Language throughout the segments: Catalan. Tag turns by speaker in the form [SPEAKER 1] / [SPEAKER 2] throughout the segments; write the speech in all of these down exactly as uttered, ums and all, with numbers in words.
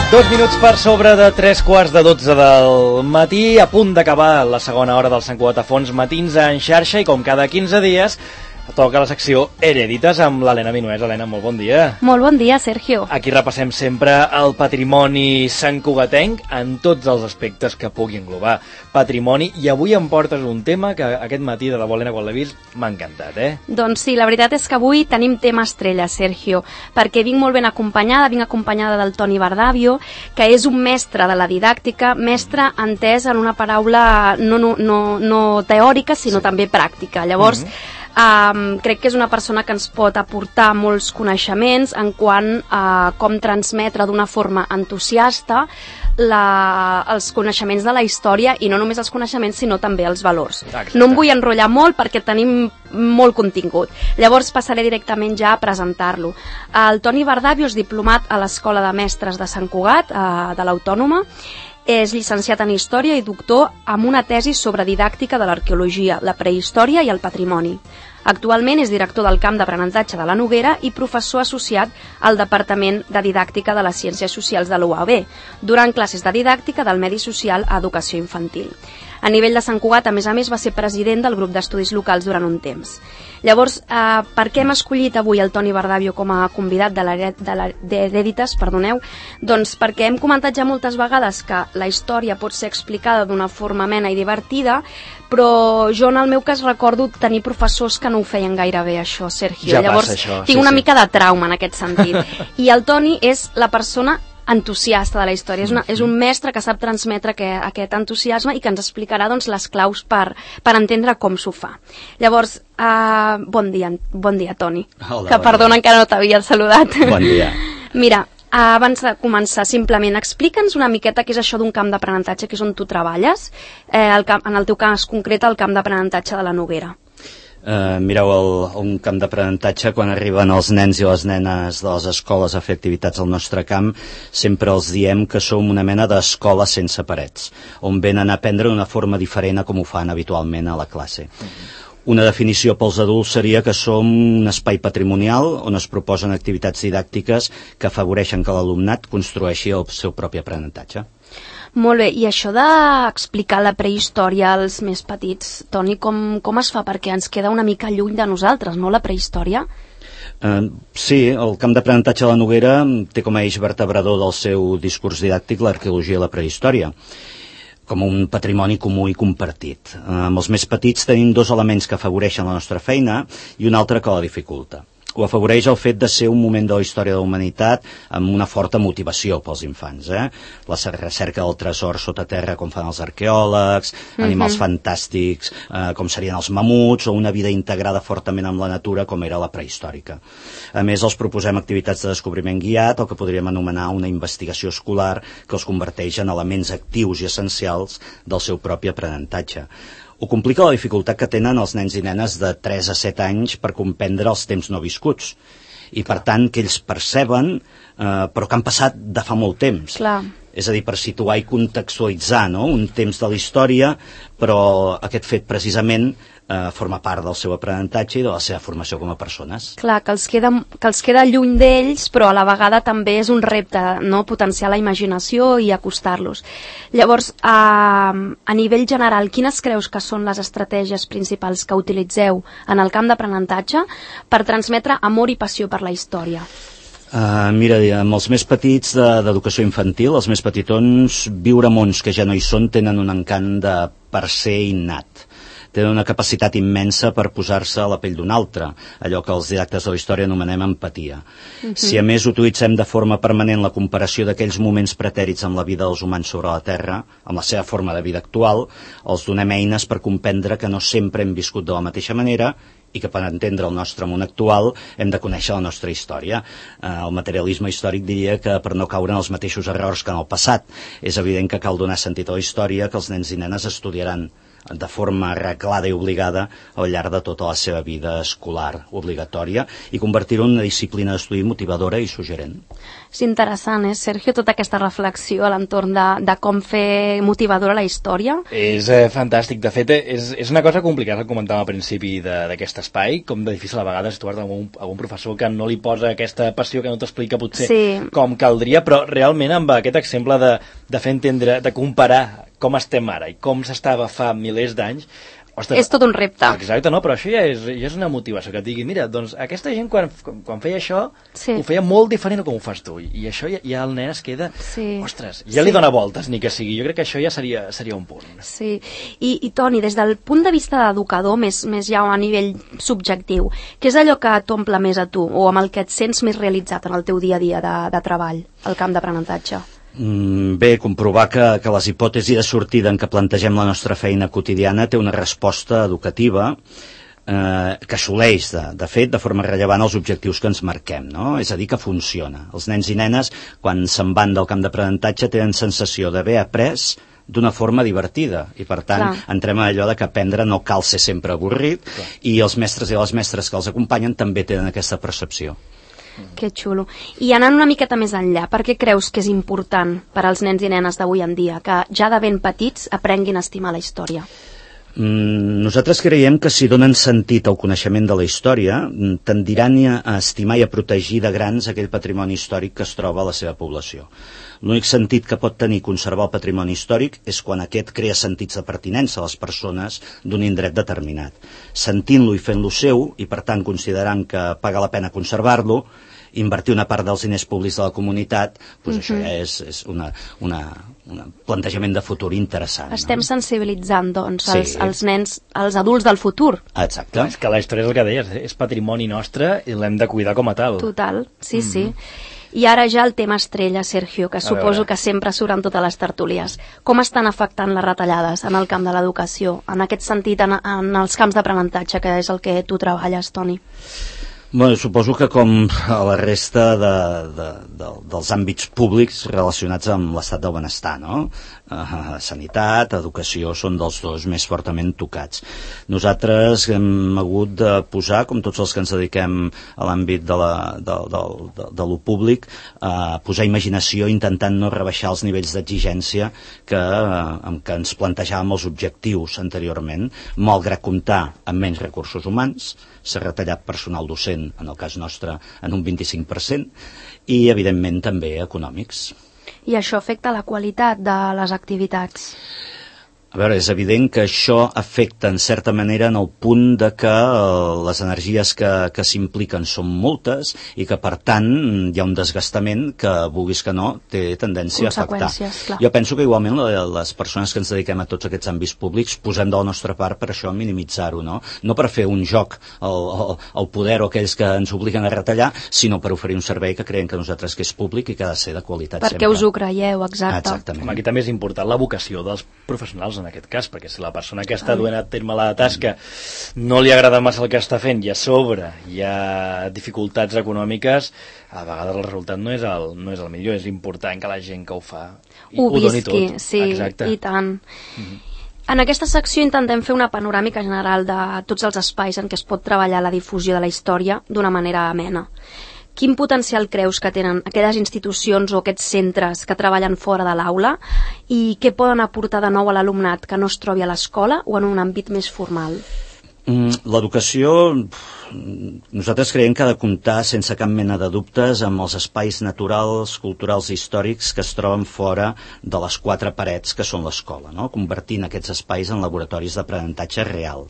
[SPEAKER 1] Dos minuts per sobre de tres quarts de dotze del matí, a punt d'acabar la segona hora del Sant Cugat a Fons Matins en xarxa, i com cada quinze dies toca la secció Herèdites amb l'Helena Minuès. Helena, molt bon dia.
[SPEAKER 2] Molt bon dia, Sergio.
[SPEAKER 1] Aquí repassem sempre el patrimoni santcugatenc en tots els aspectes que pugui englobar patrimoni, i avui em portes un tema que aquest matí, de debò, Helena, quan l'he vist, m'ha encantat, eh?
[SPEAKER 2] Doncs sí, la veritat és que avui tenim tema estrella, Sergio, perquè vinc molt ben acompanyada, vinc acompanyada del Toni Bardavio, que és un mestre de la didàctica, mestre entès en una paraula no, no, no, no teòrica, sinó sí. també pràctica. Llavors, mm-hmm. Um, crec que és una persona que ens pot aportar molts coneixements en quant a com transmetre d'una forma entusiasta la, els coneixements de la història, i no només els coneixements sinó també els valors. Exacte. No em vull enrotllar molt perquè tenim molt contingut, llavors passaré directament ja a presentar-lo. El Toni Bardavio és diplomat a l'Escola de Mestres de Sant Cugat, uh, de l'Autònoma. És llicenciat en Història i doctor amb una tesi sobre didàctica de l'arqueologia, la prehistòria i el patrimoni. Actualment és director del camp d'aprenentatge de la Noguera i professor associat al Departament de Didàctica de les Ciències Socials de l'U A B, durant classes de didàctica del medi social a educació infantil. A nivell de Sant Cugat, a més a més, va ser president del grup d'estudis locals durant un temps. Llavors, eh, per què hem escollit avui el Toni Bardavio com a convidat d'Herèdites? Perdoneu, doncs perquè hem comentat ja moltes vegades que la història pot ser explicada d'una forma amena i divertida, però jo en el meu cas recordo tenir professors que no ho feien gaire bé, això, Sergio.
[SPEAKER 1] Ja
[SPEAKER 2] Llavors,
[SPEAKER 1] passa, això.
[SPEAKER 2] tinc
[SPEAKER 1] sí,
[SPEAKER 2] una
[SPEAKER 1] sí.
[SPEAKER 2] mica de trauma en aquest sentit. I el Toni és la persona entusiasta de la història, és, una, és un mestre que sap transmetre que, aquest entusiasme i que ens explicarà doncs, les claus per, per entendre com s'ho fa. Llavors, uh, bon dia, bon dia, Toni.
[SPEAKER 3] Hola,
[SPEAKER 2] que
[SPEAKER 3] bon
[SPEAKER 2] perdona,
[SPEAKER 3] dia.
[SPEAKER 2] encara no t'havia saludat.
[SPEAKER 3] Bon dia.
[SPEAKER 2] Mira, uh, abans de començar, simplement, explica'ns una miqueta què és això d'un camp d'aprenentatge, que és on tu treballes, eh, el camp, en el teu cas concret, el camp d'aprenentatge de la Noguera.
[SPEAKER 3] Uh, mireu, el, un camp d'aprenentatge, quan arriben els nens i les nenes de les escoles a fer activitats al nostre camp, sempre els diem que som una mena d'escola sense parets, on venen a aprendre d'una forma diferent a com ho fan habitualment a la classe. Una definició pels adults seria que som un espai patrimonial on es proposen activitats didàctiques que afavoreixen que l'alumnat construeixi el seu propi aprenentatge.
[SPEAKER 2] Molt bé, i això d'explicar la prehistòria als més petits, Toni, com, com es fa? Perquè ens queda una mica lluny de nosaltres, no, la prehistòria?
[SPEAKER 3] Uh, sí, el camp d'aprenentatge de la Noguera té com a eix vertebrador del seu discurs didàctic l'arqueologia i la prehistòria, com un patrimoni comú i compartit. Uh, amb els més petits tenim dos elements que afavoreixen la nostra feina i un altre que la dificulta. Ho afavoreix el fet de ser un moment de la història de la humanitat amb una forta motivació pels infants, eh? La recerca del tresor sota terra, com fan els arqueòlegs, mm-hmm. animals fantàstics, eh, com serien els mamuts, o una vida integrada fortament amb la natura, com era la prehistòrica. A més, els proposem activitats de descobriment guiat, o que podríem anomenar una investigació escolar, que els converteix en elements actius i essencials del seu propi aprenentatge. Ho complica la dificultat que tenen els nens i nenes de tres a set anys per comprendre els temps no viscuts, i per tant que ells perceben, eh, però que han passat de fa molt temps.
[SPEAKER 2] Clar.
[SPEAKER 3] És a dir, per situar i contextualitzar, no?, un temps de la història, però aquest fet precisament eh, forma part del seu aprenentatge i de la seva formació com a persones.
[SPEAKER 2] Clar, que els queda, que els queda lluny d'ells, però a la vegada també és un repte, no?, potenciar la imaginació i acostar-los. Llavors, a, a nivell general, quines creus que són les estratègies principals que utilitzeu en el camp d'aprenentatge per transmetre amor i passió per la història?
[SPEAKER 3] Uh, mira, amb els més petits d'educació infantil, els més petitons, viure mons que ja no hi són tenen un encant de per ser innat. Tenen una capacitat immensa per posar-se a la pell d'un altre, allò que els didactes de la història anomenem empatia. Uh-huh. Si a més utilitzem de forma permanent la comparació d'aquells moments pretèrits amb la vida dels humans sobre la Terra, amb la seva forma de vida actual, els donem eines per comprendre que no sempre hem viscut de la mateixa manera i que per entendre el nostre món actual hem de conèixer la nostra història. Eh, el materialisme històric diria que per no caure en els mateixos errors que en el passat, és evident que cal donar sentit a la història que els nens i nenes estudiaran de forma reglada i obligada al llarg de tota la seva vida escolar obligatòria i convertir-ho en una disciplina d'estudi motivadora i suggerent.
[SPEAKER 2] És interessant, eh, Sergio, tota aquesta reflexió a l'entorn de, de com fer motivadora la història.
[SPEAKER 1] És eh, fantàstic. De fet, és, és una cosa complicada, com comentàvem al principi d'aquest espai, com de difícil a vegades trobar algun, algun professor que no li posa aquesta passió, que no t'explica potser
[SPEAKER 2] sí.
[SPEAKER 1] com caldria, però realment amb aquest exemple de, de fer entendre, de comparar com estem ara i com s'estava fa milers d'anys, ostres,
[SPEAKER 2] és tot un repte.
[SPEAKER 1] Exacte, no? Però això ja és, ja és una motivació, que et digui, mira, doncs aquesta gent quan, quan feia això
[SPEAKER 2] sí.
[SPEAKER 1] ho feia molt diferent com ho fas tu, i això ja, ja el nen es queda,
[SPEAKER 2] sí.
[SPEAKER 1] ostres, ja
[SPEAKER 2] sí.
[SPEAKER 1] li dona voltes, ni que sigui. Jo crec que això ja seria, seria un punt.
[SPEAKER 2] Sí, I, i Toni, des del punt de vista d'educador, més, més ja a nivell subjectiu, què és allò que t'omple més a tu, o amb el que et sents més realitzat en el teu dia a dia de, de treball, al camp d'aprenentatge?
[SPEAKER 3] Bé, comprovar que, que les hipòtesis de sortida en què plantegem la nostra feina quotidiana té una resposta educativa eh, que assoleix, de, de fet, de forma rellevant els objectius que ens marquem, no? És a dir, que funciona. Els nens i nenes, quan se'n van del camp d'aprenentatge, tenen sensació d'haver après d'una forma divertida, i per tant Clar. entrem a allò de que aprendre no cal ser sempre avorrit, Clar. i els mestres i les mestres que els acompanyen també tenen aquesta percepció.
[SPEAKER 2] Que xulo. I anant una miqueta més enllà, per què creus que és important per als nens i nenes d'avui en dia que ja de ben petits aprenguin a estimar la història?
[SPEAKER 3] Mm, nosaltres creiem que si donen sentit al coneixement de la història, tendiran a estimar i a protegir de grans aquell patrimoni històric que es troba a la seva població. L'únic sentit que pot tenir conservar el patrimoni històric és quan aquest crea sentits de pertinença a les persones d'un indret determinat. Sentint-lo i fent-lo seu, i per tant considerant que paga la pena conservar-lo, invertir una part dels diners públics de la comunitat, doncs uh-huh. això ja és, és una, una, un plantejament de futur interessant.
[SPEAKER 2] Estem
[SPEAKER 3] no?
[SPEAKER 2] sensibilitzant, doncs,
[SPEAKER 3] sí.
[SPEAKER 2] els, els nens, els adults del futur.
[SPEAKER 3] Exacte.
[SPEAKER 1] És que la història és el que deies, és patrimoni nostre i l'hem de cuidar com a tal.
[SPEAKER 2] Total, sí, mm-hmm. sí. I ara ja el tema estrella, Sergio, que
[SPEAKER 1] a
[SPEAKER 2] suposo
[SPEAKER 1] veure.
[SPEAKER 2] que sempre surt en totes les tertúlies. Com estan afectant les retallades en el camp de l'educació, en aquest sentit, en, en els camps d'aprenentatge, que és el que tu treballes, Toni?
[SPEAKER 3] Bueno, suposo que com a la resta de, de, de, dels àmbits públics relacionats amb l'estat del benestar, no? Uh, sanitat, educació, són dels dos més fortament tocats. Nosaltres hem hagut de posar, com tots els que ens dediquem a l'àmbit de, la, de, de, de, de lo públic, uh, posar imaginació intentant no rebaixar els nivells d'exigència que, uh, amb què ens plantejàvem els objectius anteriorment, malgrat comptar amb menys recursos humans. S'ha retallat personal docent, en el cas nostre, en un vint-i-cinc per cent, i, evidentment, també econòmics.
[SPEAKER 2] I això afecta la qualitat de les activitats?
[SPEAKER 3] A veure, és evident que això afecta en certa manera en el punt de que eh, les energies que, que s'impliquen són moltes i que per tant hi ha un desgastament que, vulguis que no, té tendència a afectar.
[SPEAKER 2] Clar.
[SPEAKER 3] Jo penso que igualment les persones que ens dediquem a tots aquests àmbits públics posem de la nostra part per això minimitzar-ho, no? No per fer un joc al, al, al poder o aquells que ens obliguen a retallar, sinó per oferir un servei que creiem que nosaltres que és públic i que ha de ser de qualitat
[SPEAKER 2] Perquè
[SPEAKER 3] sempre.
[SPEAKER 2] us ho creieu, exacte.
[SPEAKER 3] Exactament.
[SPEAKER 1] Home, aquí també és important la vocació dels professionals en aquest cas, perquè si la persona que està duent a terme la tasca no li agrada massa el que està fent i a sobre hi ha dificultats econòmiques, a vegades el resultat no és el, no és el millor. És important que la gent que ho fa
[SPEAKER 2] ho,
[SPEAKER 1] ho doni
[SPEAKER 2] visqui,
[SPEAKER 1] tot.
[SPEAKER 2] Sí,
[SPEAKER 1] Exacte.
[SPEAKER 2] i tant.
[SPEAKER 1] Mm-hmm.
[SPEAKER 2] En aquesta secció intentem fer una panoràmica general de tots els espais en què es pot treballar la difusió de la història d'una manera amena. Quin potencial creus que tenen aquelles institucions o aquests centres que treballen fora de l'aula i què poden aportar de nou a l'alumnat que no es trobi a l'escola o en un àmbit més formal?
[SPEAKER 3] L'educació, nosaltres creiem que ha de comptar sense cap mena de dubtes amb els espais naturals, culturals i històrics que es troben fora de les quatre parets que són l'escola, no? Convertint aquests espais en laboratoris d'aprenentatge real.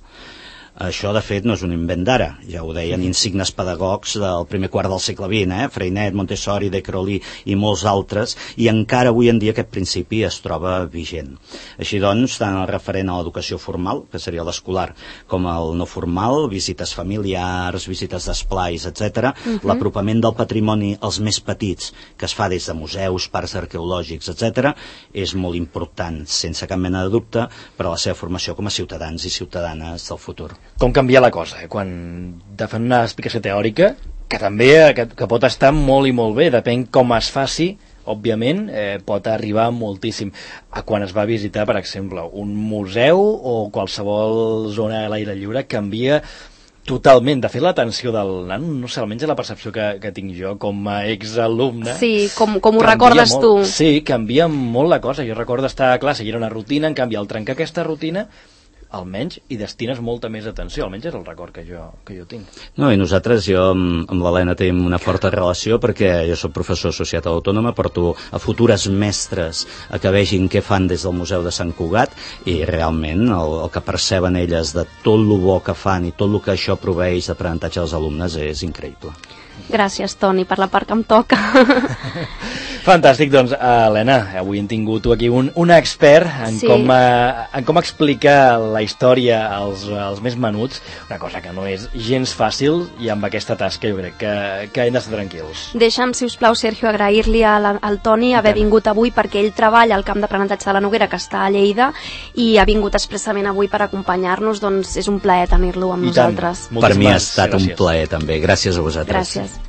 [SPEAKER 3] Això, de fet, no és un invent d'ara. Ja ho deien insignes pedagogs del primer quart del segle vint, eh? Freinet, Montessori, De Crowley i molts altres, i encara avui en dia aquest principi es troba vigent. Així doncs, tant el referent a l'educació formal, que seria l'escolar, com el no formal, visites familiars, visites d'esplais, etcètera, uh-huh. l'apropament del patrimoni als més petits, que es fa des de museus, parcs arqueològics, etcètera, és molt important, sense cap mena de dubte, per a la seva formació com a ciutadans i ciutadanes del futur.
[SPEAKER 1] Com canvia la cosa, eh? Quan de fan una explicació teòrica, que també que, que pot estar molt i molt bé, depèn com es faci òbviament, eh, pot arribar moltíssim. A quan es va visitar, per exemple, un museu o qualsevol zona a l'aire lliure, canvia totalment. De fet, l'atenció del nano, no sé, almenys la percepció que, que tinc jo com a exalumne...
[SPEAKER 2] Sí, com, com ho recordes
[SPEAKER 1] molt,
[SPEAKER 2] tu.
[SPEAKER 1] Sí, canvia molt la cosa. Jo recordo estar a classe i era una rutina, en canvi, al trencar aquesta rutina, almenys hi destines molta més atenció, almenys és el record que jo, que jo tinc.
[SPEAKER 3] No, i nosaltres, jo amb, amb l'Helena tenim una forta relació perquè jo soc professor associat a l'Autònoma, porto a futures mestres a que vegin què fan des del Museu de Sant Cugat i realment el, el que perceben elles de tot lo bo que fan i tot el que això proveeix d'aprenentatge als alumnes és increïble.
[SPEAKER 2] Gràcies, Toni, per la part que em toca.
[SPEAKER 1] Fantàstic, doncs, Helena, avui hem tingut aquí un, un expert en, sí. com, uh, en com explicar la història als, als més menuts, una cosa que no és gens fàcil, i amb aquesta tasca jo crec que, que hem d'estar tranquils.
[SPEAKER 2] Deixa'm, si us plau, Sergio, agrair-li al, al Toni haver vingut avui, perquè ell treballa al camp d'aprenentatge de la Noguera, que està a Lleida, i ha vingut expressament avui per acompanyar-nos, doncs és un plaer tenir-lo amb I nosaltres.
[SPEAKER 3] Per mi ha estat gràcies. un plaer també. Gràcies a vosaltres.
[SPEAKER 2] Gràcies.